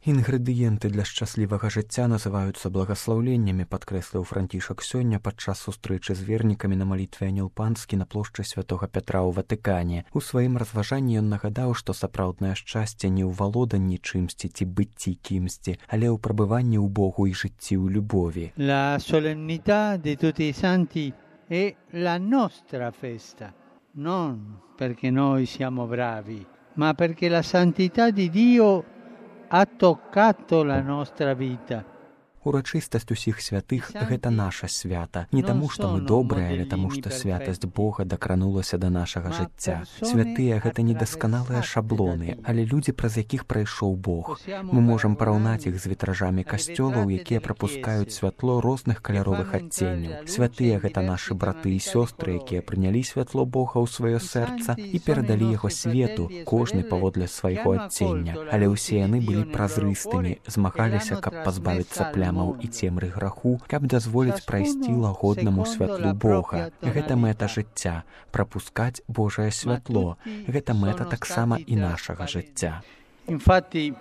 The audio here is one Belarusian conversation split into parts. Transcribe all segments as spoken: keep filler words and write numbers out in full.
Інгрэдыенты для шчаслівага жыцця называюцца благаслаўленнямі, падкрэсліў Францішак сёння падчас сустрэчы з вернікамі на малітве Анёл Панскі на плошчы святога Пятра ў Ватыкане. У сваім разважанні ён нагадаў, што сапраўднае шчасце не ў валоданні чымсьці ці быцці кімсьці, але ў прабыванні ў Богу і жыцці ў любові. La solennità di tutti i santi è la nostra festa, non perché noi siamo bravi, ma perché la santità di Dio ha toccato la nostra vita. Урачыстасць усіх святых – гэта наша свята. Не таму, што мы добрыя, але таму, што святасць Бога дакранулася да нашага жыцця. Святыя – гэта недасканалыя шаблоны, але людзі, праз якіх прайшоў Бог. Мы можам параўнаць іх з вітражамі касцёлаў, якія прапускаюць святло розных каляровых адценняў. Святыя – гэта нашы браты і сёстры, якія прынялі святло Бога ў сваё сэрца і перадалі яго свету, кожны паводле свайго адцення. Але ўсе яны былі празрыстымі, змагаліся, каб пазбавіцца плям і цемры граху, каб дазволіць прайсці лагоднаму святлу Бога. Гэта мэта жыцця – прапускаць Божае святло. Гэта мэта таксама і нашага жыцця. Infatti,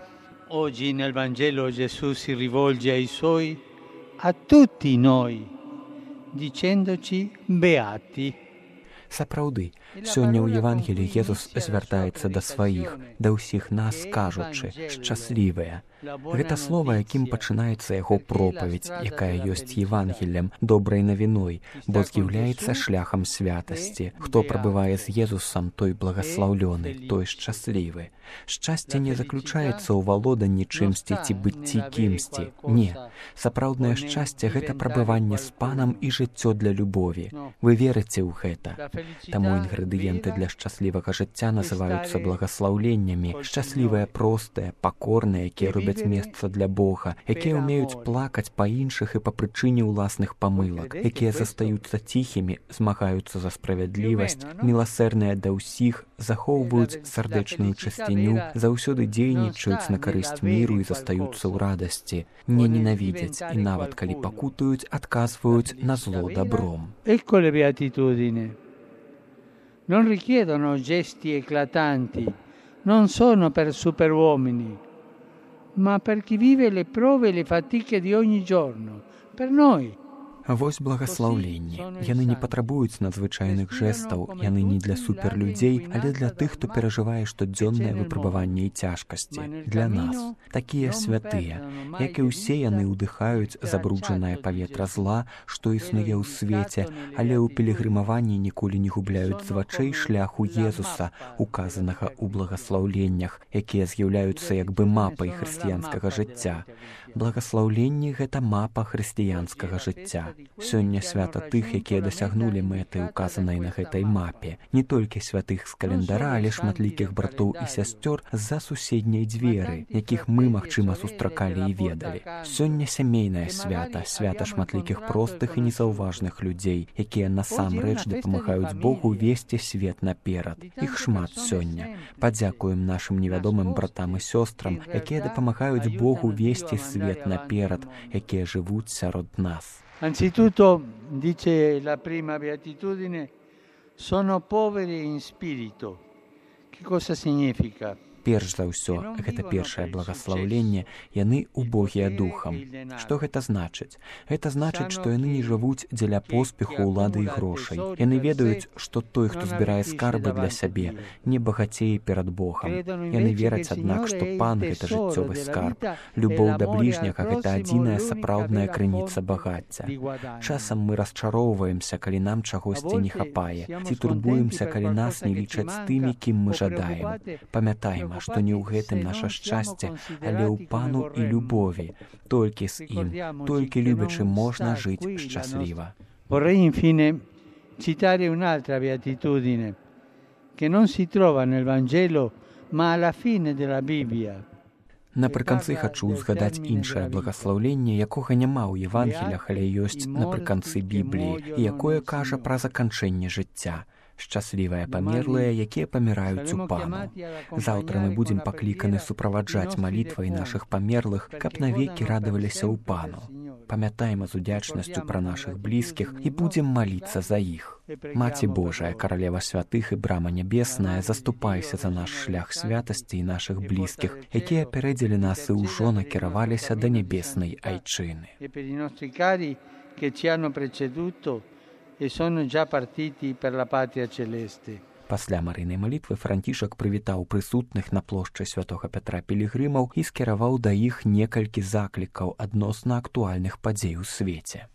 oggi nel Vangelo Gesù si rivolge ai suoi, a tutti noi, dicendoci beati. Сапраўды, сёння ў Евангеліі Езус звяртаецца да сваіх, да ўсіх нас, кажучы, шчаслівыя. Гэта слова, якім пачынаецца яго пропаведь, якая ёсць Евангеллем, добрай навіной, бо з'яўляецца шляхам святасці. Хто прабывае з Езусам, той благаслаўлёны, той шчаслівы. Шчасце не заключаецца ў валоданні чымсьці ці быцці кімсьці. Не. Сапраўднае шчасце – гэта прабыванне з Панам і жыццё для любові. Вы верыце ў гэта? Таму інгрэдыенты для шчаслівага жыцця называюцца благаслаўленнямі. Шчаслівыя простыя, пакорныя, якія робяць месца для Бога, якія ўмеюць плакаць па іншых і па прычыне ўласных памылак, якія застаюцца ціхімі, змагаюцца за справядлівасць, міласэрныя да ўсіх, захоўваюць сардэчную чысціню, заўсёды дзейнічаюць на карысць міру і застаюцца ў радасці, не ненавідзяць і нават калі пакутаюць, адказваюць на зло добром. Ecco le beatitudini. Non richiedono gesti eclatanti, non sono per superuomini, ma per chi vive le prove e le fatiche di ogni giorno, per noi. Вось благаслаўленні. Яны не патрабуюць надзвычайных жэстаў, яны не для суперлюдзей, але для тых, хто перажывае штодзённае выпрабаванне і цяжкасці. Для нас. Такія святыя. Як і ўсе яны ўдыхаюць забруджанае паветра зла, што існуе ў свеце, але ў пілігрымаванні ніколі не губляюць з вачэй шляху Езуса, указанага ў благаслаўленнях, якія з'яўляюцца як бы мапай хрысціянскага жыцця. Благаслаўленні – гэта мапа хрысціянскага жыцця. Сёння свята тых, якія дасягнулі мэты, указанай на гэтай мапе. Не толькі святых з календара, але шматлікіх братоў і сясцёр з-за суседняй дзверы, якіх мы, магчыма, сустракалі і ведалі. Сёння сямейнае свята, свята шматлікіх простых і незаўважных людзей, якія насамрэч дапамагаюць Богу весці свет наперад. Іх шмат сёння. Падзякуем нашым невядомым братам і сёстрам, якія дапамагаюць Богу весці свет наперад, якія жывуць сярод нас. Anzitutto, dice la prima beatitudine, sono poveri in spirito. Che cosa significa? Перш за ўсё, гэта першае благаслаўленне, яны убогія духам. Што гэта значыць? Гэта значыць, што яны не жывуць дзеля поспеху, улады і грошай. Яны ведаюць, што той, хто збірае скарбы для сябе, не багацее перад Богам. Яны вераць, аднак, што Пан – гэта жыццёвы скарб. Любоў да бліжняга – гэта адзіная сапраўдная крыніца багацця. Часам мы расчароўваемся, калі нам чагосьці не хапае, ці турбуемся, калі нас не лічаць з тымі, кім мы жадаем. Памятаем, што не ў гэтым наша шчасце, але ў Пану і любові. Толькі з ім, толькі любячы можна жыць шчасліва. Vorrei infine citare un'altra beatitudine che non si trova nel Vangelo, ma alla fine della Bibbia. Напрыканцы хачу згадаць іншае благаслаўленне, якога няма ў Евангеліях, але ёсць напрыканцы Бібліі, і якое кажа пра заканчэнне жыцця. Шчаслівыя памерлыя, якія паміраюць у Пану. Заўтра мы будзем пакліканы суправаджаць малітвай нашых памерлых, каб навекі радаваліся ў Пану. Памятаем з удзячнасцю пра нашых блізкіх і будзем маліцца за іх. Маці Божая, каралева святых і брама нябесная, заступайся за наш шлях святасці і нашых блізкіх, якія апярэдзілі нас і ўжо накіраваліся да нябеснай айчыны. Che ci hanno preceduto e sono già partiti per la patria celeste. Пасля марыйнай малітвы Францішак прывітаў прысутных на плошчы святога Пятра пілігрымаў і скіраваў да іх некалькі заклікаў адносна актуальных падзей у свеце.